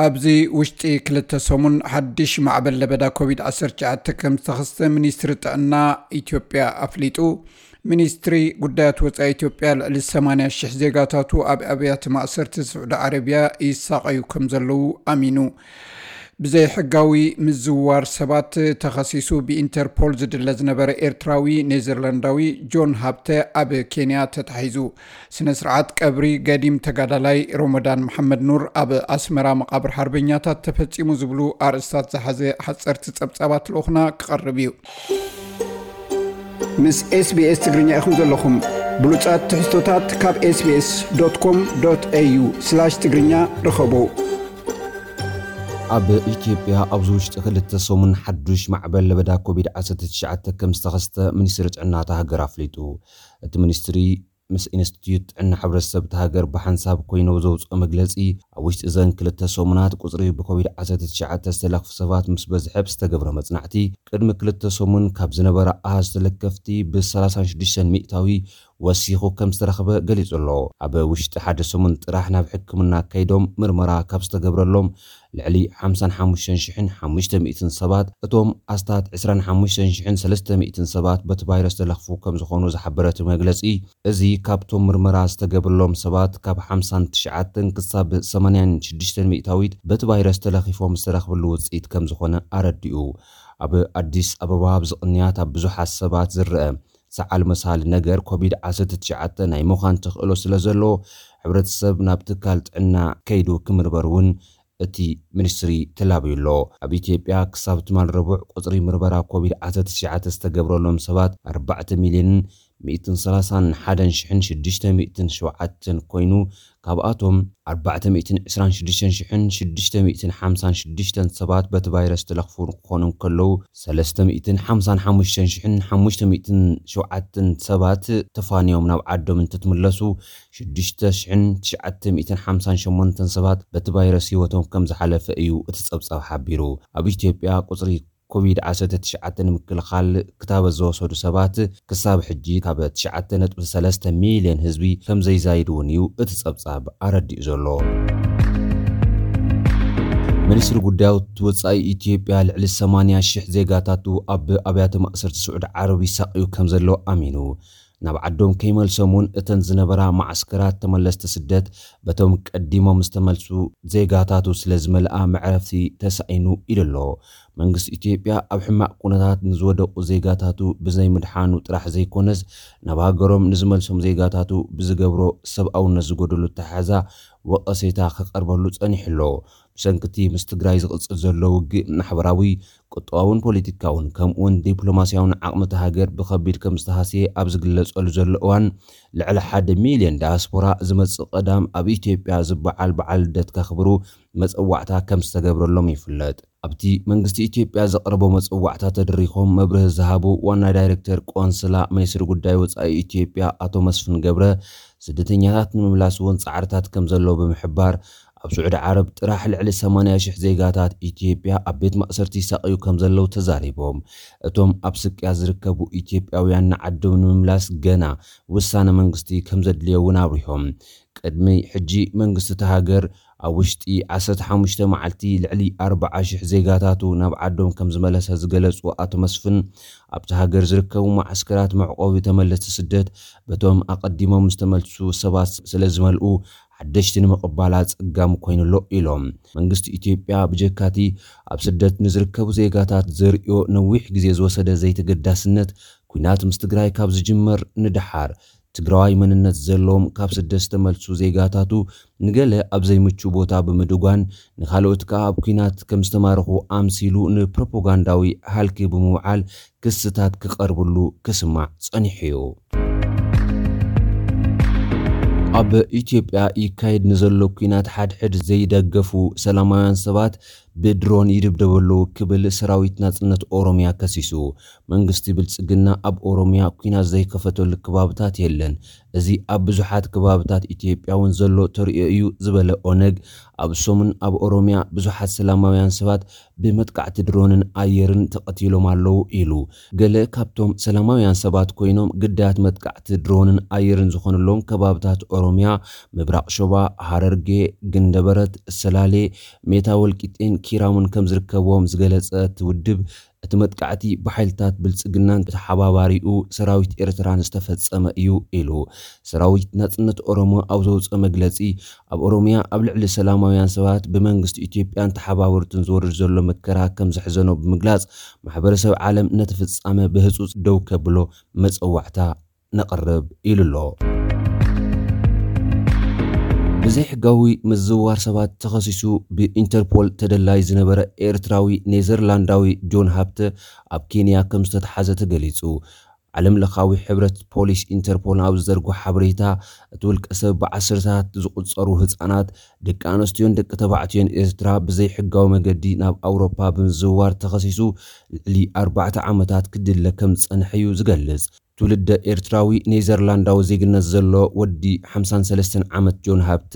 ኣብዚ ውሽጢ ክልተ ሰሙን ሓድሽ ማዕበል ለበዳ ኮቪድ ዓሰርተ ትሽዓተ ከም ዝተኸስተ ሚኒስትሪ ጥዕና ኢትዮጵያ ኣፍሊጡ። ሚኒስትሪ ጉዳያት ወጻኢ ኢትዮጵያ ልዕሊ ሰማንያ ሽሕ ዜጋታቱ ኣብ ኣብያተ ማእሰርቲ ስዑዲ ዓረብያ ይሳቐዩ ከም ዘለዉ ኣሚኑ። ብዘይሕጋዊ ምዝዋር ሰባት ተኸሲሱ ብኢንተርፖል ዝድለ ዝነበረ ኤርትራዊ ኔዘርላንዳዊ ጆን ሃብተ ኣብ ኬንያ ተታሒዙ። ስነ ስርዓት ቀብሪ ገዲም ተጋዳላይ ሮሞዳን መሓመድ ኑር ኣብ ኣስመራ መቓብር ሓርበኛታት ተፈጺሙ ዝብሉ ኣርእስታት ዝሓዘ ሓጸርቲ ጸብጻባት ልኡኽና ክቐርብ እዩ። ምስ ኤስቢኤስ ትግርኛ ኢኹም ዘለኹም። ብሉጻት ትሕዝቶታት ካብ ኤስቢኤስ ዶት ኮም ዶት ኤዩ ስላሽ ትግርኛ ርኸቡ። ኣብ ኢትዮጵያ ኣብዚ ውሽጢ ክልተ ሰሙን ሓዱሽ ማዕበል ለበዳ ኮቪድ ዓሰርተ ትሽዓተ ከም ዝተኸስተ ሚኒስትሪ ጥዕና እታ ሃገር ኣፍሊጡ። እቲ ሚኒስትሪ ምስ ኢንስቲትዩት ጥዕና ሕብረተሰብ እታ ሃገር ብሓንሳብ ኮይኑ ዘውፅኦ መግለፂ፣ ኣብ ውሽጢ እዘን ክልተ ሰሙናት ቁፅሪ ብኮቪድ ዓሰርተ ትሽዓተ ዝተለኽፉ ሰባት ምስ በዝሐ ብዝተገብረ መፅናዕቲ፣ ቅድሚ ክልተ ሰሙን ካብ ዝነበረ ኣሃዝ ተለከፍቲ ብ ሰላሳ ሽዱሽተ ሚእታዊ ወሲኹ ከም ዝተረኽበ ገሊጹ ኣሎ። ኣብ ውሽጢ ሓደ ሰሙን ጥራሕ ናብ ሕክምና ከይዶም ምርመራ ካብ ዝተገብረሎም ልዕሊ ሓምሳን ሓሙሽተን ሽሕን ሓሙሽተ ሚእትን ሰባት፣ እቶም ኣስታት ዕስራን ሓሙሽተን ሽሕን ሰለስተ ሚእትን ሰባት በቲ ቫይረስ ተለኽፉ ከም ዝኾኑ ዝሓበረ እቲ መግለጺ፣ እዚ ካብቶም ምርመራ ዝተገብረሎም ሰባት ካብ ሓምሳን ትሽዓተን ክሳብ ሰማንያን ሽዱሽተን ሚእታዊት በቲ ቫይረስ ተለኺፎም ዝተረኽብሉ ውጽኢት ከም ዝኾነ ኣረዲኡ። ኣብ ኣዲስ ኣበባ ኣብዚ ቅንያት ኣብ ብዙሓት ሰባት ዝረአ ሰዓል መሳሊ ነገር ኮቪድ ዓሰርተ ትሽዓተ ናይ ምዃን ተኽእሎ ስለ ዘሎ፣ ሕብረተሰብ ናብ ትካል ጥዕና ከይዱ ክምርመር እውን እቲ ሚኒስትሪ ተላብዩ ኣሎ። ኣብ ኢትዮጵያ ክሳብ ትማል ረቡዕ ቁጽሪ ምርመራ ኮቪድ ዓሰርተ ትሽዓተ ዝተገብረሎም ሰባት ኣርባዕተ ሚልዮንን ሚእትን ሰላሳን ሓደን ሽሕን ሽዱሽተ ሚእትን ሸውዓተን ኮይኑ፣ ካብኣቶም ኣርባዕተ ሚእትን ዕስራን ሽዱሽተን ሽሕን ሽዱሽተ ሚእትን ሓምሳን ሽዱሽተን ሰባት በቲ ቫይረስ ተለኽፉ ክኾኑ እንከለዉ፣ ሰለስተ ሚእትን ሓምሳን ሓሙሽተን ሽሕን ሓሙሽተ ሚእትን ሸውዓተን ሰባት ተፋንዮም ናብ ዓዶም እንትትምለሱ፣ ሽዱሽተ ሽሕን ትሽዓተ ሚእትን ሓምሳን ሸሞንተን ሰባት በቲ ቫይረስ ህይወቶም ከም ዝሓለፈ እዩ እቲ ጸብጻብ ሓቢሩ። ኣብ ኢትዮጵያ ቁጽሪ ኮቪድ ዓሰርተ ትሽዓተ ንምክልኻል ክታበት ዝወሰዱ ሰባት ክሳብ ሕጂ ካብ ትሽዓተ ነጥቢ ሰለስተ ሚልዮን ህዝቢ ከም ዘይዛይድ እውን እዩ እቲ ጸብጻብ ኣረዲኡ ዘሎ። ሚኒስትሪ ጉዳያት ወጻኢ ኢትዮጵያ ልዕሊ ሰማንያ ሽሕ ዜጋታቱ ኣብ ኣብያተ ማእሰርቲ ስዑዲ ዓረብ ይሳቕዩ ከም ዘሎ ኣሚኑ። ናብ ዓዶም ከይመልሶም እውን እተን ዝነበራ ማዓስከራት ተመለስቲ ስደት በቶም ቀዲሞም ዝተመልሱ ዜጋታቱ ስለ ዝመልኣ መዕረፍቲ ተሳኢኑ ኢሉ ኣሎ። መንግስቲ ኢትዮጵያ ኣብ ሕማቕ ኩነታት ንዝወደቑ ዜጋታቱ ብዘይምድሓኑ ጥራሕ ዘይኮነስ፣ ናብ ሃገሮም ንዝመልሶም ዜጋታቱ ብዝገብሮ ሰብኣውነት ዝጎደሉ ኣተሓሕዛ ወቐሴታ ክቐርበሉ ጸኒሑ ኣሎ። ብሰንኪ እቲ ምስ ትግራይ ዝቕጽል ዘሎ ውግእ ማሕበራዊ፣ ቁጠባውን ፖለቲካውን ከምኡውን ዲፕሎማስያውን ዓቕሚ እታ ሃገር ብኸቢድ ከም ዝተሃስየ ኣብ ዝግለጸሉ ዘሎ እዋን፣ ልዕሊ ሓደ ሚልዮን ዳያስፖራ ዝመጽእ ቀዳም ኣብ ኢትዮጵያ ዝበዓል በዓል ልደት ከኽብሩ መጸዋዕታ ከም ዝተገብረሎም ይፍለጥ። ኣብቲ መንግስቲ ኢትዮጵያ ዘቕረቦ መጸዋዕታ ተደሪኾም መብርሂ ዝሃቡ ዋና ዳይሬክተር ቆንስላ ሚኒስትሪ ጉዳይ ወጻኢ ኢትዮጵያ ኣቶ መስፍን ገብረ፣ ስደተኛታት ንምምላስ እውን ጻዕርታት ከም ዘሎ ብምሕባር፣ ኣብ ስዑዲ ዓረብ ጥራሕ ልዕሊ ሰማንያ ሽሕ ዜጋታት ኢትዮጵያ ኣብ ቤት ማእሰርቲ ይሳቐዩ ከም ዘለዉ ተዛሪቦም። እቶም ኣብ ስቅያ ዝርከቡ ኢትዮጵያውያን ንዓዶም ንምምላስ ገና ውሳነ መንግስቲ ከም ዘድልዮ እውን ኣብሪሆም። ቅድሚ ሕጂ መንግስቲ እታ ሃገር ኣብ ውሽጢ ዓሰርተ ሓሙሽተ መዓልቲ ልዕሊ ኣርባዓ ሽሕ ዜጋታቱ ናብ ዓዶም ከም ዝመለሰ ዝገለጹ ኣቶ መስፍን፣ ኣብቲ ሃገር ዝርከቡ ማዓስከራት መዕቆቢ ተመለስቲ ስደት በቶም ኣቐዲሞም ዝተመልሱ ሰባት ስለ ዝመልኡ፣ ሓደሽቲ ንምቕባል ኣጸጋሚ ኮይኑ ኣሎ ኢሎም። መንግስቲ ኢትዮጵያ ብጀካቲ ኣብ ስደት ንዝርከቡ ዜጋታት ዘርእዮ ነዊሕ ግዜ ዝወሰደ ዘይተገዳስነት፣ ኲናት ምስ ትግራይ ካብ ዝጅመር ንደሓር፣ ትግራዋይ መንነት ዘለዎም ካብ ስደት ዝተመልሱ ዜጋታቱ ንገለ ኣብ ዘይምቹ ቦታ ብምድጓን፣ ንኻልኦት ከኣ ኣብ ኲናት ከም ዝተማረኹ ኣምሲሉ ንፕሮፓጋንዳዊ ሃልኪ ብምውዓል ክስታት ክቐርብሉ ክስማዕ ጸኒሑ እዩ። ኣብ ኢትዮጵያ ይካየድ ንዘሎ ኲናት ሓድሕድ ዘይደገፉ ሰላማውያን ሰባት ብድሮን ይድብደቡ ኣለዉ ክብል ሰራዊት ናጽነት ኦሮምያ ከሲሱ። መንግስቲ ብልጽግና ኣብ ኦሮምያ ኲናት ዘይከፈተሉ ከባብታት የለን። እዚ ኣብ ብዙሓት ከባብታት ኢትዮጵያ እውን ዘሎ ተርእዮ እዩ ዝበለ ኦነግ፣ ኣብ ሰሙን ኣብ ኦሮምያ ብዙሓት ሰላማውያን ሰባት ብመጥቃዕቲ ድሮንን ኣየርን ተቐቲሎም ኣለዉ ኢሉ። ገለ ካብቶም ሰላማውያን ሰባት ኮይኖም ግዳያት መጥቃዕቲ ድሮንን ኣየርን ዝኾኑሎም ከባብታት ኦሮምያ፣ ምብራቕ ሸዋ፣ ሃረርጌ፣ ግንደበረት፣ ሰላሌ፣ ሜታ ወልቂጤን ኪራሙን ከም ዝርከብዎም ዝገለጸ እቲ ውድብ፣ እቲ መጥቃዕቲ ብሓይልታት ብልጽግናን ተሓባባሪኡ ሰራዊት ኤርትራን ዝተፈጸመ እዩ ኢሉ። ሰራዊት ናጽነት ኦሮሞ ኣብ ዘውፅኦ መግለጺ፣ ኣብ ኦሮምያ ኣብ ልዕሊ ሰላማውያን ሰባት ብመንግስቲ ኢትዮጵያን ተሓባበርቱን ዝወርድ ዘሎ መከራ ከም ዘሕዘኖ ብምግላጽ፣ ማሕበረሰብ ዓለም ነቲ ፍጻመ ብህጹጽ ደው ከብሎ መጸዋዕታ ነቕርብ ኢሉ ኣሎ። ብዘይሕጋዊ ምዝውዋር ሰባት ተኸሲሱ ብኢንተርፖል ተደላይ ዝነበረ ኤርትራዊ ኔዘርላንዳዊ ጆን ሃብተ ኣብ ኬንያ ከም ዝተተሓዘ ተገሊጹ። ዓለም ለኻዊ ሕብረት ፖሊስ ኢንተርፖል ኣብ ዝዘርጎ ሓበሬታ፣ እቲ ውልቀ ሰብ ብዓሰርታት ዝቑጸሩ ህጻናት፣ ደቂ ኣንስትዮን ደቂ ተባዕትዮን ኤርትራ ብዘይሕጋዊ መገዲ ናብ ኣውሮፓ ብምዝውዋር ተኸሲሱ ልዕሊ ኣርባዕተ ዓመታት ክድለ ከም ዝጸንሐ እዩ ዝገልጽ። ትውልደ ኤርትራዊ ኔዘርላንዳዊ ዜግነት ዘሎ ወዲ ሓምሳን ሰለስተን ዓመት ጆን ሃብተ፣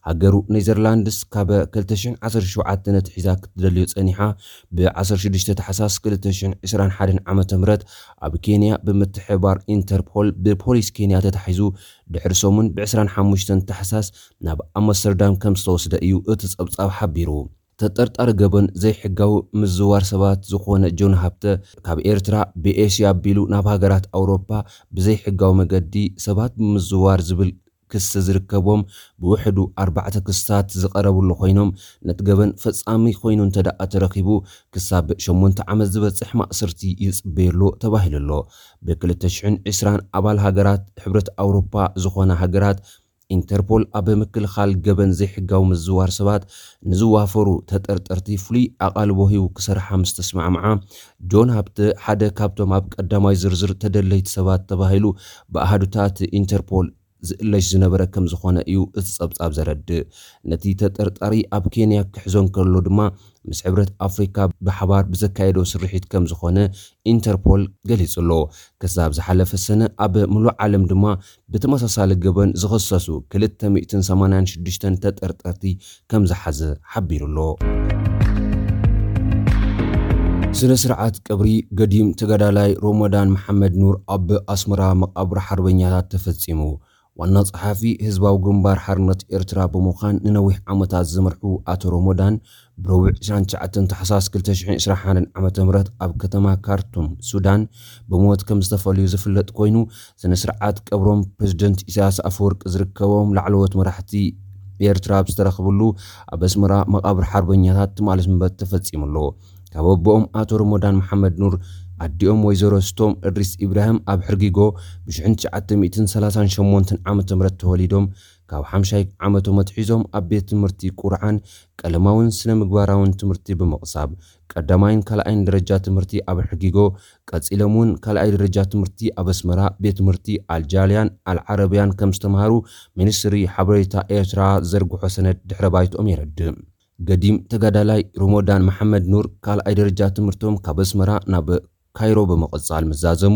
ሃገሩ ኔዘርላንድስ ካብ ክልተ ሽሕን ዓሰርተ ሸውዓተን ኣትሒዛ ክትደልዮ ጸኒሓ፣ ብ ዓሰርተ ሽዱሽተ ታሕሳስ ክልተ ሽሕን ዕስራን ሓደን ዓመተ ምህረት ኣብ ኬንያ ብምትሕብባር ኢንተርፖል ብፖሊስ ኬንያ ተታሒዙ፣ ድሕሪ ሰሙን ብ ዕስራን ሓሙሽተን ታሕሳስ ናብ ኣምስተርዳም ከም ዝተወስደ እዩ እቲ ጸብጻብ ሓቢሩ። ተጠርጣሪ ገበን ዘይሕጋዊ ምዝዋር ሰባት ዝኾነ ጆን ሃብተ፣ ካብ ኤርትራ ብኤስያ ኣቢሉ ናብ ሃገራት ኣውሮፓ ብዘይሕጋዊ መገዲ ሰባት ብምዝዋር ዝብል ክሲ ዝርከቦም ብውሕዱ ኣርባዕተ ክስታት ዝቐረብሉ ኮይኖም፣ ነቲ ገበን ፈጻሚ ኮይኑ እንተ ደኣ ተረኺቡ፣ ክሳብ ሸሞንተ ዓመት ዝበጽሕ ማእሰርቲ ይጽበየሉ ተባሂሉ ኣሎ። ብ ክልተ ሽሕን ዕስራን ኣባል ሃገራት ሕብረት ኣውሮፓ ዝኾና ሃገራት፣ ኢንተርፖል ኣብ ምክልኻል ገበን ዘይሕጋዊ ምዝዋር ሰባት ንዝዋፈሩ ተጠርጠርቲ ፍሉይ ኣቓልቦ ሂቡ ክሰርሓ ምስ ተስማዕምዓ፣ ጆን ሃብተ ሓደ ካብቶም ኣብ ቀዳማይ ዝርዝር ተደለይቲ ሰባት ተባሂሉ ብኣሃዱታት ኢንተርፖል ዝእለሽ ዝነበረ ከም ዝኾነ እዩ እቲ ጸብጻብ ዘረድእ። ነቲ ተጠርጣሪ ኣብ ኬንያ ክሕዞ እንከሎ ድማ፣ ምስ ሕብረት ኣፍሪካ ብሓባር ብዘካየዶ ስርሒት ከም ዝኾነ ኢንተርፖል ገሊጹ ኣሎ። ክሳብ ዝሓለፈ ሰነ ኣብ ምሉእ ዓለም ድማ ብተመሳሳሊ ገበን ዝኸሰሱ ክልተ ሚእትን ሰማንያን ሽዱሽተን ተጠርጠርቲ ከም ዝሓዘ ሓቢሩ ኣሎ። ስነ ስርዓት ቀብሪ ገዲም ተጋዳላይ ሮሞዳን መሓመድ ኑር ኣብ ኣስመራ መቓብር ሓርበኛታት ተፈጺሙ። ዋና ጸሓፊ ህዝባዊ ግንባር ሓርነት ኤርትራ ብምዃን ንነዊሕ ዓመታት ዝመርሑ ኣቶ ሮሞዳን፣ ብረቡዕ ዕስራን ትሽዓተን ታሕሳስ ክልተ ሽሕን ዕስራን ሓደን ዓመተ ምህረት ኣብ ከተማ ካርቱም ሱዳን ብሞት ከም ዝተፈልዩ ዝፍለጥ ኮይኑ፣ ስነ ስርዓት ቀብሮም ፕሬዝደንት ኢሳያስ ኣፈወርቂ ዝርከቦም ላዕለዎት መራሕቲ ኤርትራ ኣብ ዝተረኽብሉ ኣብ ኣስመራ መቓብር ሓርበኛታት ትማሊ ሰንበት ተፈጺሙ ኣሎ። ካብ ኣቦኦም ኣቶ ሮሞዳን መሓመድ ኑር፣ ኣዲኦም ወይዘሮ ስቶም እድሪስ ኢብራሂም ኣብ ሕርጊጎ ብ ሽሕን ትሽዓተ ሚእትን ሰላሳን ሸሞንተን ዓመተ ምህረት ተወሊዶም፣ ካብ ሓምሻይ ዓመቶም ኣትሒዞም ኣብ ቤት ትምህርቲ ቁርዓን ቀለማውን ስነ ምግባራውን ትምህርቲ ብምቕሳብ፣ ቀዳማይን ካልኣይን ደረጃ ትምህርቲ ኣብ ሕርጊጎ፣ ቀጺሎም እውን ካልኣይ ደረጃ ትምህርቲ ኣብ ኣስመራ ቤት ትምህርቲ ኣልጃልያን ኣልዓረብያን ከም ዝተምሃሩ ሚኒስትሪ ሓበሬታ ኤርትራ ዘርግሖ ሰነድ ድሕረ ባይትኦም የረድእ። ገዲም ተጋዳላይ ሮሞዳን መሓመድ ኑር ካልኣይ ደረጃ ትምህርቶም ካብ ኣስመራ ናብ ካይሮ ብምቕጻል ምስ ዛዘሙ፣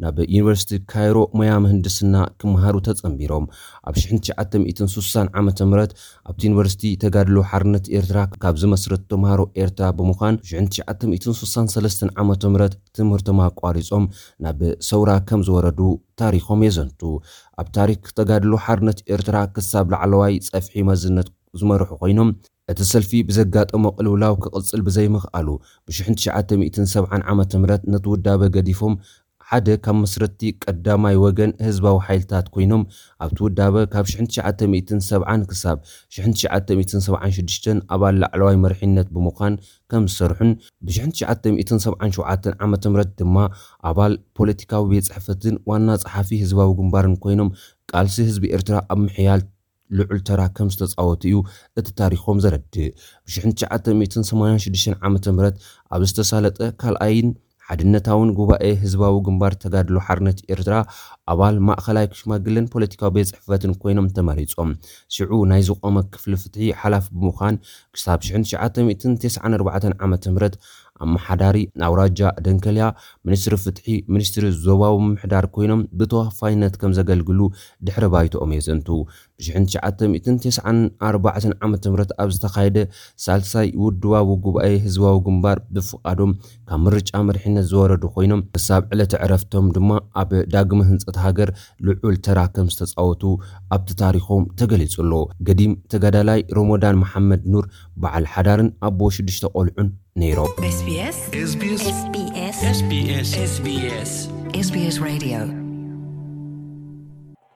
ናብ ዩኒቨርሲቲ ካይሮ ሞያ ምህንድስና ክመሃሩ ተጸንቢሮም። ኣብ ሽሕን ትሽዓተ ሚእትን ሱሳን ዓመተ ምህረት ኣብቲ ዩኒቨርሲቲ ተጋድሎ ሓርነት ኤርትራ ካብ ዝመስረት ተምሃሮ ኤርትራ ብምዃን፣ ሽሕን ትሽዓተ ሚእትን ሱሳን ሰለስተን ዓመተ ምህረት ትምህርቶም ኣቋሪጾም ናብ ሰውራ ከም ዝወረዱ ታሪኾም የዘንቱ። ኣብ ታሪክ ተጋድሎ ሓርነት ኤርትራ ክሳብ ላዕለዋይ ጸፍሒ መዝነት ዝመርሑ ኮይኖም፣ እቲ ሰልፊ ብዘጋጠሞ ቅልውላው ክቕጽል ብዘይምኽኣሉ፣ ብ ሽሕን ትሽዓተ ሚእትን ሰብዓን ዓመተ ምህረት ነቲ ውዳበ ገዲፎም፣ ሓደ ካብ መስረትቲ ቀዳማይ ወገን ህዝባዊ ሓይልታት ኮይኖም፣ ኣብቲ ውዳበ ካብ ሽሕን ትሽዓተ ሚእትን ሰብዓን ክሳብ ሽሕን ትሽዓተ ሚእትን ሰብዓን ሽዱሽተን ኣባል ላዕለዋይ መሪሕነት ብምዃን ከም ዝሰርሑን፣ ብ ሽሕን ትሽዓተ ሚእትን ሰብዓን ሸውዓተን ዓመተ ምህረት ድማ ኣባል ፖለቲካዊ ቤት ጽሕፈትን ዋና ጸሓፊ ህዝባዊ ግንባርን ኮይኖም፣ ቃልሲ ህዝቢ ኤርትራ ኣብ ምሕያል ልዑል ተራ ከም ዝተጻወቱ እዩ እቲ ታሪኾም ዘረድእ። ብ ሽሕን ትሽዓተ ሚእትን ሰማንያን ሽዱሽተን ዓመተ ምህረት ኣብ ዝተሳለጠ ካልኣይን ሓድነታውን ጉባኤ ህዝባዊ ግንባር ተጋድሎ ሓርነት ኤርትራ ኣባል ማእኸላይ ሽማግለን ፖለቲካዊ ቤት ጽሕፈትን ኮይኖም ተመሪጾም። ሽዑ ናይ ዝቖመ ክፍሊ ፍትሒ ሓላፊ ብምዃን ክሳብ ሽሕን ትሽዓተ ሚእትን ተስዓን ኣርባዕተን ዓመተ ምህረት ኣመሓዳሪ ኣውራጃ ደንከልያ፣ ሚኒስትሪ ፍትሒ፣ ሚኒስትሪ ዞባዊ ምምሕዳር ኮይኖም ብተወፋይነት ከም ዘገልግሉ ድሕሪ ባይቶኦም የዘንቱ። ብ ትሽዓተ ሚእትን ተስዓን ኣርባዕተን ዓመተ ምህረት ኣብ ዝተኻየደ ሳልሳይ ውድባዊ ጉባኤ ህዝባዊ ግንባር ብፍቓዶም ካብ ምርጫ መሪሕነት ዝወረዱ ኮይኖም፣ ክሳብ ዕለተ ዕረፍቶም ድማ ኣብ ዳግመ ህንጸት ሃገር ልዑል ተራ ከም ዝተጻወቱ ኣብቲ ታሪኾም ተገሊጹ ኣሎ። ገዲም ተጋዳላይ ሮሞዳን መሓመድ ኑር በዓል ሓዳርን ኣቦ ሽዱሽተ ቆልዑን ነይሮም። SBS SBS SBS SBS SBS SBS Radio